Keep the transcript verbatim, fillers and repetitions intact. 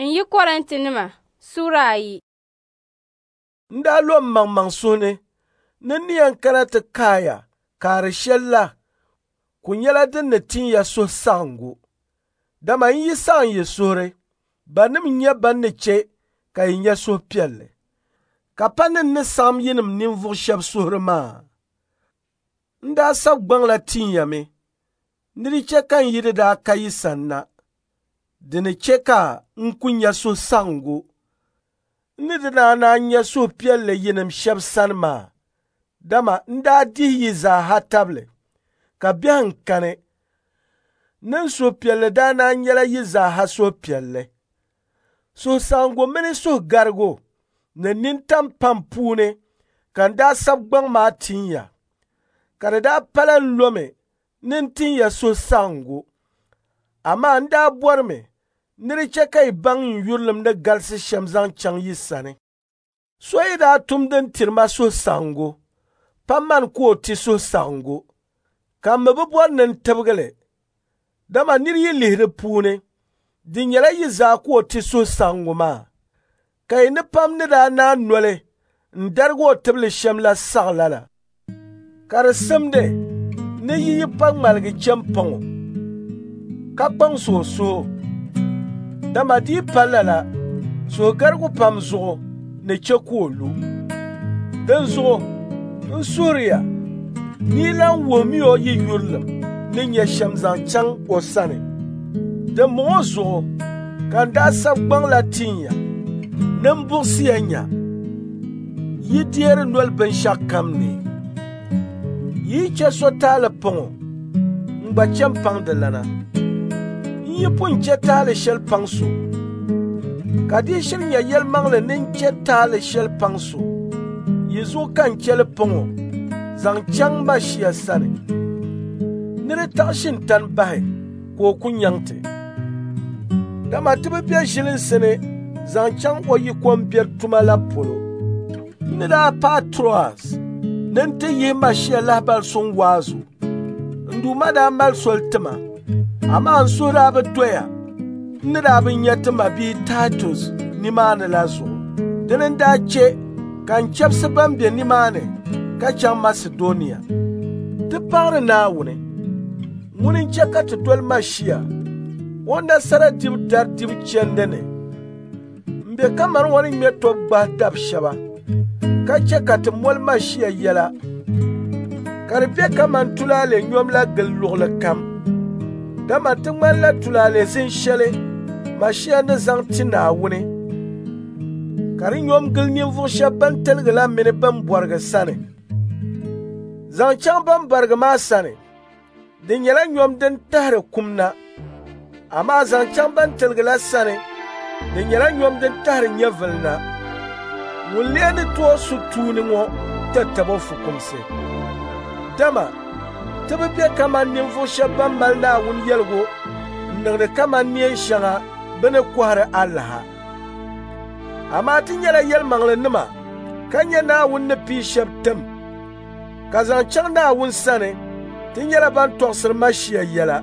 N yi Kɔrintinima suura ayi. N daa lo m maŋmaŋ suhu ni ni n ni yɛn kana ti kaaya kaari shɛli la ku nyɛla din ni tin ya suhusaɣiŋgu. Dama n yi saɣim yi suhuri, banim n-nyɛ ban ni chɛ ka yi nya suhupiɛlli, ka pa ni n ni saɣim yinim ninvuɣ shɛb suhuri maa. N daa sab gbaŋ la tin ya mi ni di chɛ ka n yi di daa ka yi sanna, di ni chɛ ka n ku nya suhusaɣiŋgu n ni di daa naan nya suhupiɛlli yinim shɛb sani maa, dama n daa dihi yi zaa ha tabili, ka biɛhiŋ kani ni n suhupiɛlli daa naan nyɛla yi zaa ha suhupiɛlli. Suhusaɣiŋgu mini suhugarigu ni nintam pam puuni ka n daa sab gbaŋ maa tin ya, ka di daa pala n lomi ni n tin ya suhusaɣiŋgu. Amaa n daa bɔrimi ni di chɛ ka yi baŋ n yurilim ni galisi shɛm zaŋ chaŋ yi sani. So yi daa tum din tiri ma suhusaɣiŋgu, pa mani ka o ti suhusaɣiŋgu, ka m mi bi bɔri ni n tibigi li, dama nir yi lihi di puuni, di nyɛla yi zaa ka o ti suhusaɣiŋgu maa. Ka yi ni pam ni daa naan noli n darigi o tibili shɛm la saɣi lala. Ka di simdi ni yi yi pa ŋmaligi chɛ m-paŋ o, ka kpaŋsi o suhu, dama di yi pa lala, suhugarigu pam zuɣu ni chɛ ka o lu. Dinzuɣu n suhiri ya ni yi lan wuhimi o yi yurilim ni nyɛ shɛm zaŋ chaŋ o sani. Dimbɔŋɔ zuɣu ka n daa sab gbaŋ la tin ya ni m buɣisi ya nya yi deeri noli binshɛɣukam ni. Yi yi chɛ so taali paŋ o, n gba chɛ m-paŋ di lana. N yi pun chɛ taali shɛli paŋ so, ka di yi shiri nyɛ yɛlimaŋli ni n chɛ taali shɛli paŋ so, yi zuɣu ka n chɛ li paŋ o zaŋ chaŋ Mashia sani, ni di taɣi shintani bahi ka o ku nyaŋ ti. Dama ti bi be ʒilinsi ni zaŋ chaŋ o yikombiɛri tuma la polo. N ni daa paai Troas ni n ti yihi Mashia lahibali suŋ waazu, n Duuma daa mali soli ti ma, amaa n suhu daa bi doya n ni daa bi nya ti mabia Taitus nimaani la zuɣu. Dini n-daa chɛ ka n chɛbisi ban be nimaani ka chaŋ Masidɔnia. Ti paɣiri Naawuni, ŋuni n-chɛ ka ti doli Mashia o nasara dibu dari dibu chandi ni. M be kaman o ni ŋme tɔbu gbahi dab shɛba, ka chɛ ka ti moli Mashia yɛla, ka di be kaman tulaale nyom la gili luɣili kam. Dama ti ŋmanila tulaale zin shɛli Mashia ni zaŋ ti Naawuni, ka di nyom gili ninvuɣ shɛb bɛn tiligi la mini bɛn bɔrigi sani. Zaŋ chaŋ bɛn barigi maa sani, di nyɛla nyom din tahiri kum na, amaa zaŋ chaŋ bɛn tiligi la sani, di nyɛla nyom din tahiri nyɛvili na. Ŋun lee ni tooi su tuuni ŋɔ tatabo fukumsi. Dama ti bi be kaman ninvuɣ shɛb bɛn mali Naawuni yɛligu n-niŋdi kaman neen shɛŋa bɛ ni kɔhiri alaha. Amaa ti nyɛla yɛlimaŋlinima ka nyɛ Naawuni ni pii shɛb tim, ka zaŋ chaŋ Naawuni sani, ti nyɛla ban tɔɣisiri Mashia yɛla.